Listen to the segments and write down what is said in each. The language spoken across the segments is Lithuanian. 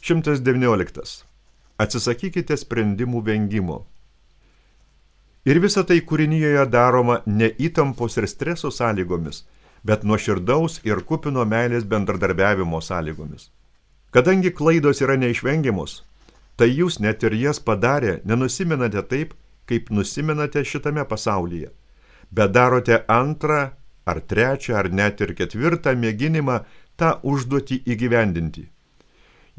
119. Atsisakykite sprendimų vengimo. Ir visa tai kūrinyje daroma ne įtampos ir streso sąlygomis, bet nuoširdaus ir kupino meilės bendradarbiavimo sąlygomis. Kadangi klaidos yra neišvengiamos, tai jūs net ir jas padarę nenusimenate taip, kaip nusimenate šitame pasaulyje, bet darote antrą ar trečią ar net ir ketvirtą mėginimą tą užduotį įgyvendinti.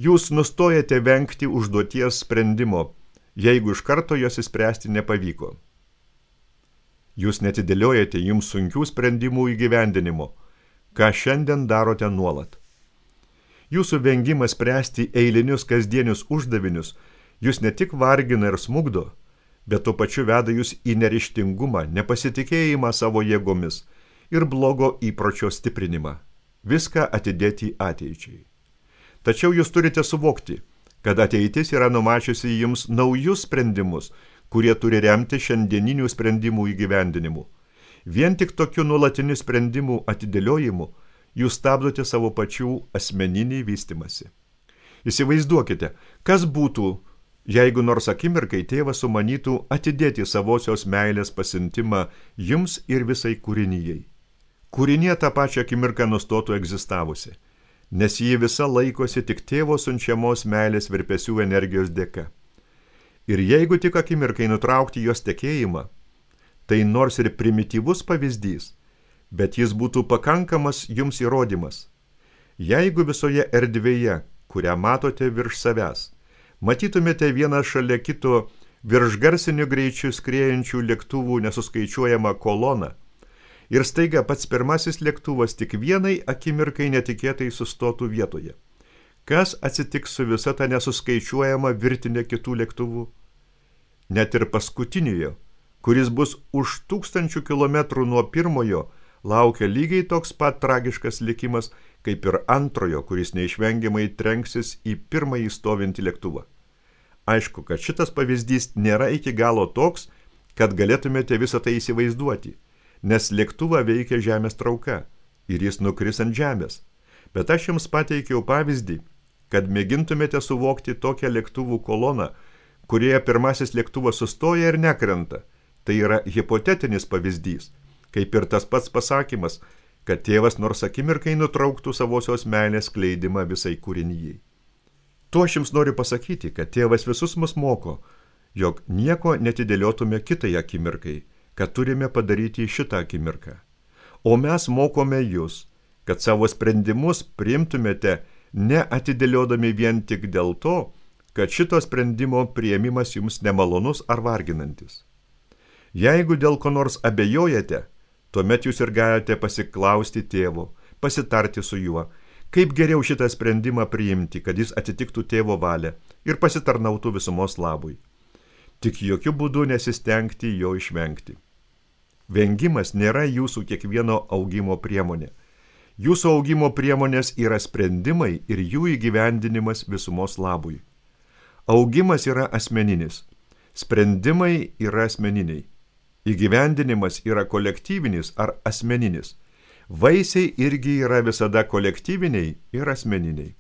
Jūs nustojate vengti užduoties sprendimo, jeigu iš karto jos įspręsti nepavyko. Jūs netidėliojate jums sunkių sprendimų įgyvendinimo, ką šiandien darote nuolat. Jūsų vengimas spręsti eilinius kasdienius uždavinius jūs ne tik vargina ir smugdo, bet tuo pačiu veda jūs į neryžtingumą, nepasitikėjimą savo jėgomis ir blogo įpročio stiprinimą. Viską atidėti ateičiai. Tačiau jūs turite suvokti, kad ateitis yra numačiusi jums naujus sprendimus, kurie turi remti šiandieninių sprendimų įgyvendinimu. Vien tik tokiu nuolatiniu sprendimų atidėliojimu jūs stabdote savo pačių asmeninį vystimąsi. Įsivaizduokite, kas būtų, jeigu nors akimirkai tėvas sumanytų atidėti savosios meilės pasiuntimą jums ir visai kūrinyjei. Kūrinė tą pačią akimirką nustotų egzistavusi, nes ji visa laikosi tik tėvo siunčiamos meilės virpesių energijos dėka. Ir jeigu tik akimirkai nutraukti jos tekėjimą, tai nors ir primityvus pavyzdys, bet jis būtų pakankamas jums įrodymas. Jeigu visoje erdvėje, kurią matote virš savęs, matytumėte vieną šalia kito virš garsiniu greičiu skriejančių lėktuvų nesuskaičiuojamą koloną, ir staiga pats pirmasis lėktuvas tik vienai akimirkai netikėtai sustotų vietoje. Kas atsitiks su visa ta nesuskaičiuojama virtinė kitų lėktuvų? Net ir paskutiniojo, kuris bus už 1000 kilometrų nuo pirmojo, laukia lygiai toks pat tragiškas likimas, kaip ir antrojo, kuris neišvengiamai trenksis į pirmąjį stovintį lėktuvą. Aišku, kad šitas pavyzdys nėra iki galo toks, kad galėtumėte visą tai įsivaizduoti, nes lėktuvą veikia žemės trauka ir jis nukris ant žemės. Bet aš jums pateikiau pavyzdį, kad mėgintumėte suvokti tokią lėktuvų koloną, kurioje pirmasis lėktuvas sustoja ir nekrenta. Tai yra hipotetinis pavyzdys, kaip ir tas pats pasakymas, kad tėvas nors akimirkai nutrauktų savosios meilės skleidimą visai kūrinyjei. Tuo aš jums noriu pasakyti, kad tėvas visus mus moko, jog nieko netidėliotume kitai akimirkai, kad turime padaryti šitą akimirką. O mes mokome jūs, kad savo sprendimus priimtumėte neatidėliodami vien tik dėl to, kad šito sprendimo priėmimas jums nemalonus ar varginantis. Jeigu dėl ko nors abejojate, tuomet jūs ir galite pasiklausti tėvo, pasitarti su juo, kaip geriau šitą sprendimą priimti, kad jis atitiktų tėvo valią ir pasitarnautų visumos labui. Tik jokių būdų nesistengti jo išvengti. Vengimas nėra jūsų kiekvieno augimo priemonė. Jūsų augimo priemonės yra sprendimai ir jų įgyvendinimas visumos labui. Augimas yra asmeninis, sprendimai yra asmeniniai, įgyvendinimas yra kolektyvinis ar asmeninis, vaisiai irgi yra visada kolektyviniai ir asmeniniai.